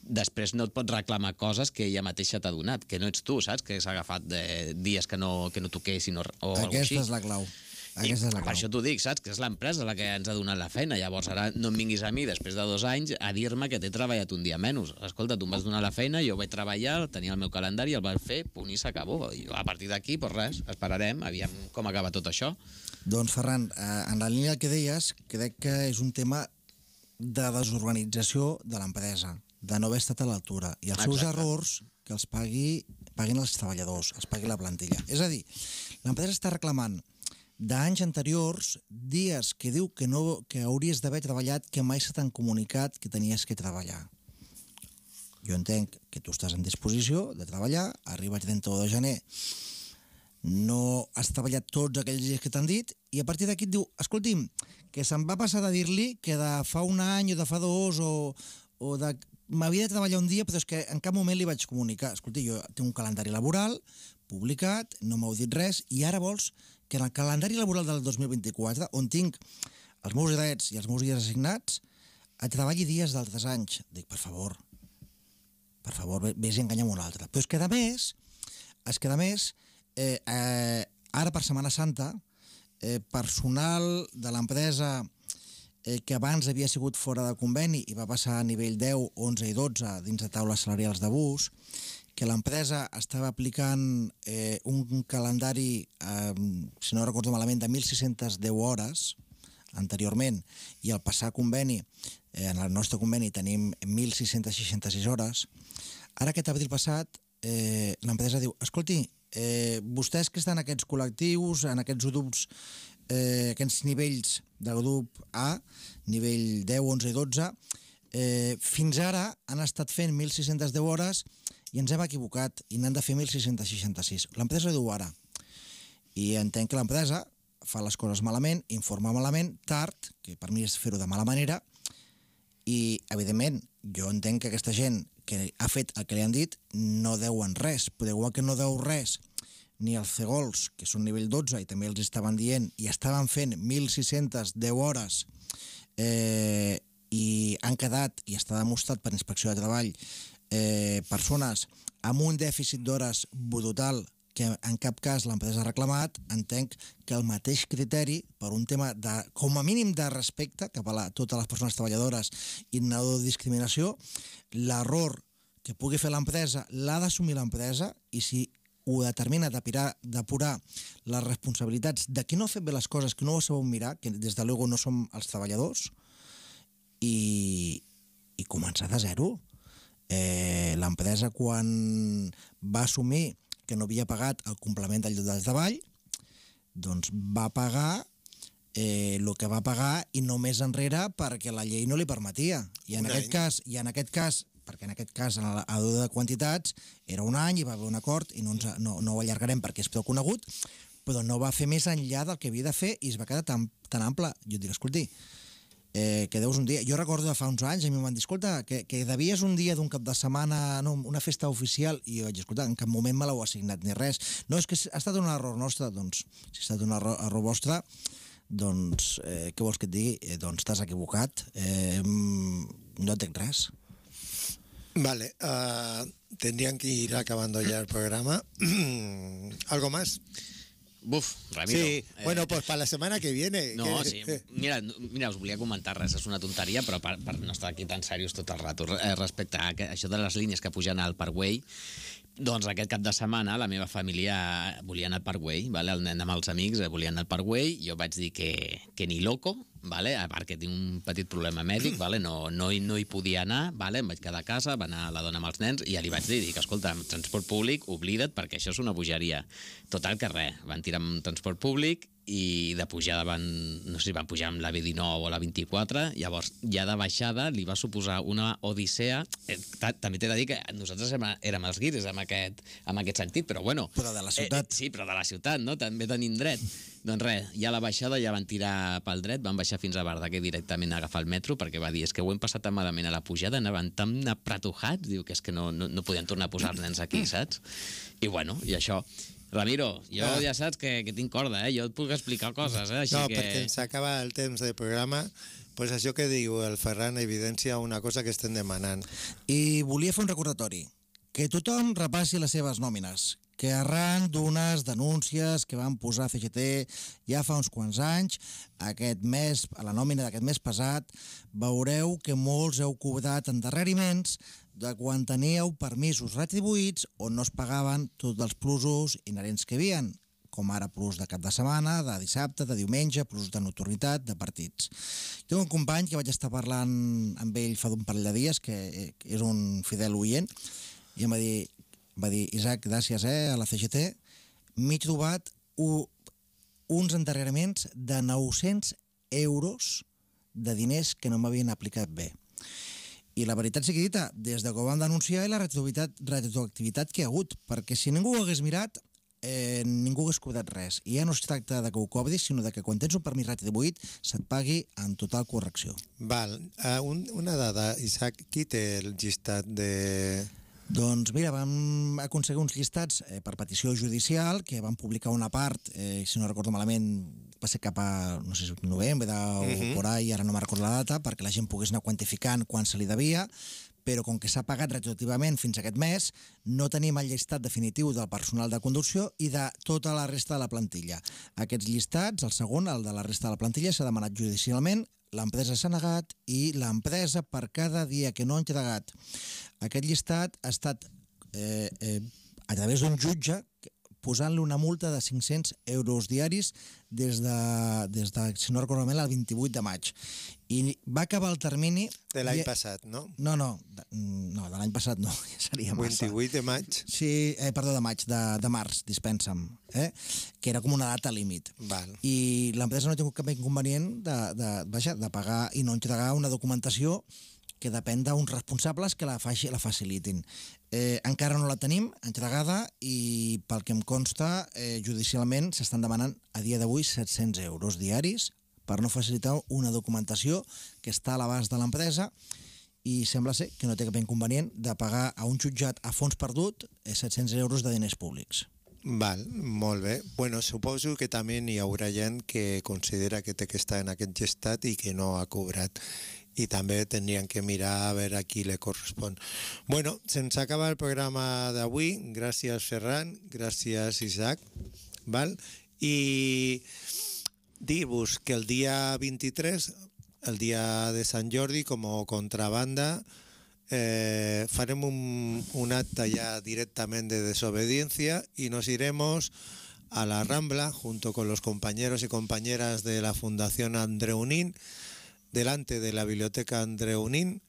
després no et pots reclamar coses que ella mateixa t'ha donat, que no ets tu, saps? Que s'ha agafat de dies que no, que no toquessin o, o alguna cosa així. Aquesta és la clau. Aquesta és la clau. Per això t'ho dic, saps? Que és l'empresa la que ens ha donat la feina. Llavors ara no em vinguis a mi després de dos anys a dir-me que t'he treballat un dia menys. Escolta, tu em vas donar la feina, jo vaig treballar, tenia el meu calendari, el vaig fer, punt i s'acabó. I a partir d'aquí, doncs res, esperarem, aviam com acaba tot això. Doncs Ferran, en la línia que deies, crec que és un tema de desorganització de l'empresa, de no haver estat a l'altura, i els seus Exacte. errors que els pagui, paguin els treballadors, els pagui la plantilla. És a dir, l'empresa està reclamant d'anys anteriors dies que diu que, no, que hauries d'haver treballat, que mai se t'han comunicat que tenies que treballar. Jo entenc que tu estàs en disposició de treballar, arriba el trenta-u de gener, no has treballat tots aquells dies que t'han dit, i a partir d'aquí et diu, escolti'm, que se'm va passar de dir-li que de fa un any o de fa dos o, o de m'havia de treballar un dia, però és que en cap moment li vaig comunicar. Escolta, jo tinc un calendari laboral publicat, no m'heu dit res, i ara vols que en el calendari laboral del dos mil vint-i-quatre, on tinc els meus drets i els meus dies assignats, et treballi dies d'altres anys. Dic, per favor, per favor, vés i enganya'm un altre. Però és que, a més, és que, a més, eh, eh, ara per Setmana Santa, eh, personal de l'empresa eh, que abans havia sigut fora de conveni i va passar a nivell deu, onze i dotze dins de taules salarials d'abús, que l'empresa estava aplicant eh, un calendari, eh, si no recordo malament, de mil sis-centes deu hores anteriorment, i al passar conveni, eh, en el nostre conveni tenim mil sis-centes seixanta-sis hores, ara aquest abril passat eh, l'empresa diu, escolti, eh, vostès que estan en aquests col·lectius, en aquests grups, eh, aquests nivells de grup A, nivell deu, onze i dotze, eh, fins ara han estat fent mil sis-centes deu hores i ens hem equivocat i n'han de fer mil sis-centes seixanta-sis. L'empresa diu ara, i entenc que l'empresa fa les coses malament, informa malament, tard, que per mi és fer-ho de mala manera, i, evidentment, jo entenc que aquesta gent que ha fet el que li han dit no deuen res, però igual que no deu res ni els cegols, que són nivell dotze, i també els estaven dient, i estaven fent mil sis-centes deu hores, eh, i han quedat, i està demostrat per Inspecció de Treball, eh, persones amb un dèficit d'hores brutal que en cap cas l'empresa ha reclamat, entenc que el mateix criteri, per un tema de, com a mínim de respecte cap a la, totes les persones treballadores i no de discriminació, l'error que pugui fer l'empresa l'ha d'assumir l'empresa, i si ho determina d'apurar les responsabilitats de qui no ha fet bé les coses, que no ho sabeu mirar, que des de luego no som els treballadors, i, i començar de zero. Eh, l'empresa, quan va assumir que no havia pagat el complement del lloc de treball, doncs va pagar eh, el que va pagar i no més enrere perquè la llei no li permetia. I en, aquest cas, i en aquest cas, perquè en aquest cas a l'ordre de quantitats era un any i va haver un acord i no, ens, no, no ho allargarem perquè és prou conegut, però no va fer més enllà del que havia de fer i es va quedar tan, tan ample. Jo et dic, escolti, Eh, que deus un dia... Jo recordo de fa uns anys, a mi m'han dit, escolta, que, que devies un dia d'un cap de setmana, no, una festa oficial, i jo vaig dir, escolta, en cap moment me l'heu assignat ni res. No, és que ha estat un error nostre. Doncs, si ha estat un error, error vostre, doncs, eh, què vols que et digui? Eh, doncs t'has equivocat. Eh, no entenc res. Vale, uh, tendrían que ir acabando ya el programa. ¿Algo más? Buf, Ramiro. Sí, eh, bueno, pues para la semana que viene. No, que... sí. Mira, mira, us volia comentar res, és una tonteria, però per, per no estar aquí tan serios tot el rato. Eh, respecte a que, això de les línies que pugen al Parkway, doncs aquest cap de setmana la meva família volia anar al Parkway, vale? El nen amb els amics volia anar al Parkway, jo vaig dir que, que ni loco, vale? A part que tinc un petit problema mèdic, vale? no, no, hi, no hi podia anar, vale? Em vaig quedar a casa, va anar la dona amb els nens i ja li vaig dir, dic, escolta, amb transport públic, oblida't perquè això és una bogeria. Total que res, van tirar amb transport públic i de pujada van, no sé si van pujar amb la B dinou o la vint-i-quatre, llavors ja de baixada li va suposar una odissea. Eh, també t'he de dir que nosaltres érem els guiris en aquest, en aquest sentit, però bueno... Però de la ciutat. Eh, sí, però de la ciutat, no? També tenim dret. Doncs res, ja a la baixada ja van tirar pel dret, van baixar fins a Verdaguer directament a agafar el metro, perquè va dir, és que ho hem passat tan malament a la pujada, anaven tan apretujats, diu que és que no, no, no podien tornar a posar els nens aquí, saps? I bueno, i això... Ramiro, jo ah. ja saps que, que tinc corda, eh? Jo et puc explicar coses, eh? Així no, que... perquè ens acaba el temps del programa, pues això que diu el Ferran evidencia una cosa que estem demanant. I volia fer un recordatori, que tothom repassi les seves nòmines, que arran d'unes denúncies que van posar C G T ja fa uns quants anys, aquest mes, a la nòmina d'aquest mes passat, veureu que molts heu cobrat endarreriments de quan teníeu permisos retribuïts on no es pagaven tots els plusos inherents que hi havia, com ara plus de cap de setmana, de dissabte, de diumenge, plus de nocturnitat, de partits. Tinc un company que vaig estar parlant amb ell fa d'un parell de dies, que és un fidel oient, i em va dir, va dir Isaac, gràcies eh, a la C G T, m'he trobat u, uns endarreriments de nou-cents euros de diners que no m'havien aplicat bé. I la veritat sigui dita, des de que ho vam denunciar i la retroactivitat, retroactivitat que hi ha hagut, perquè si ningú ho hagués mirat, eh, ningú hagués cobrat res. I ja no es tracta de que ho cobris, sinó de que quan tens un permís retribuït se't pagui en total correcció. Val, uh, un, una dada, Isaac, qui té el llistat de... Doncs mira, vam aconseguir uns llistats eh, per petició judicial, que van publicar una part, eh, si no recordo malament, va ser cap a, no sé si novembre o uh-huh. por ahí, ara no me'n recordo la data, perquè la gent pogués anar quantificant quan se li devia, però com que s'ha pagat retroactivament fins aquest mes, no tenim el llistat definitiu del personal de conducció i de tota la resta de la plantilla. Aquests llistats, el segon, el de la resta de la plantilla, s'ha demanat judicialment, l'empresa s'ha negat i l'empresa, per cada dia que no ha entregat aquest llistat, ha estat eh, eh, a través d'un jutge posant-li una multa de cinc-cents euros diaris des de, des de, si no recordo malament, el vint-i-vuit de maig. I va acabar el termini... De l'any i... passat, no? No, no, de, no, de l'any passat no, ja seria massa. vint-i-vuit de maig? Sí, eh, perdó, de maig, de, de març, dispensa'm, eh? Que era com una data límit. Val. I l'empresa no ha tingut cap inconvenient de, de, vaja, de pagar i no entregar una documentació que depèn d'uns responsables que la, faci, la facilitin. Eh, encara no la tenim entregada i, pel que em consta, eh, judicialment s'estan demanant a dia d'avui set-cents euros diaris per no facilitar una documentació que està a l'abast de l'empresa i sembla ser que no té cap inconvenient de pagar a un jutjat a fons perdut eh, set-cents euros de diners públics. Val, molt bé. Bueno, suposo que també hi haurà gent que considera que té que estar en aquest gestat i que no ha cobrat. I també tindrien que mirar a veure a qui li correspon. Bueno, se'ns acaba el programa d'avui. Gràcies, Ferran. Gràcies, Isaac. Val? I dir-vos que el dia vint-i-tres, el dia de Sant Jordi, com a contrabanda, eh, farem un, un acte ya directamente de desobediencia y nos iremos a la Rambla junto con los compañeros y compañeras de la Fundación Andreunín, delante de la Biblioteca Andreunín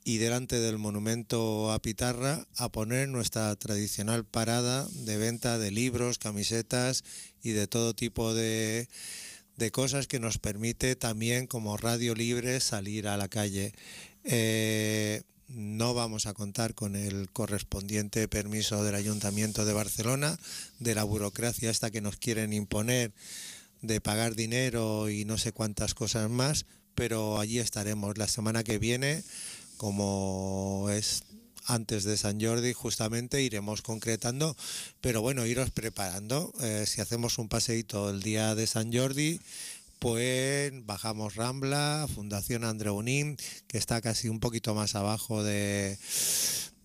y delante del monumento a Pitarra, a poner nuestra tradicional parada de venta de libros, camisetas y de todo tipo de, de cosas que nos permite también como Radio Libre salir a la calle. Eh, no vamos a contar con el correspondiente permiso del Ayuntamiento de Barcelona, de la burocracia esta que nos quieren imponer, de pagar dinero y no sé cuántas cosas más, pero allí estaremos la semana que viene, como es antes de San Jordi, justamente iremos concretando, pero bueno, iros preparando. Eh, si hacemos un paseíto el día de San Jordi, pues bajamos Rambla, Fundación Andreunín, que está casi un poquito más abajo de,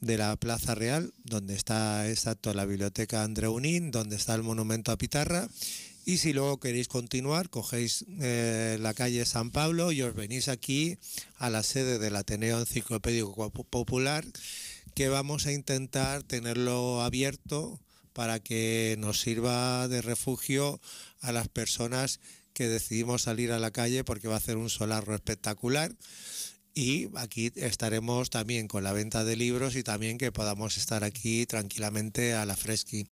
de la Plaza Real, donde está exacto la Biblioteca Andreunín, donde está el monumento a Pitarra. Y si luego queréis continuar, cogéis eh, la calle San Pablo y os venís aquí a la sede del Ateneo Enciclopédico Popular, que vamos a intentar tenerlo abierto para que nos sirva de refugio a las personas que decidimos salir a la calle, porque va a hacer un solarro espectacular. Y aquí estaremos también con la venta de libros y también que podamos estar aquí tranquilamente a la fresqui.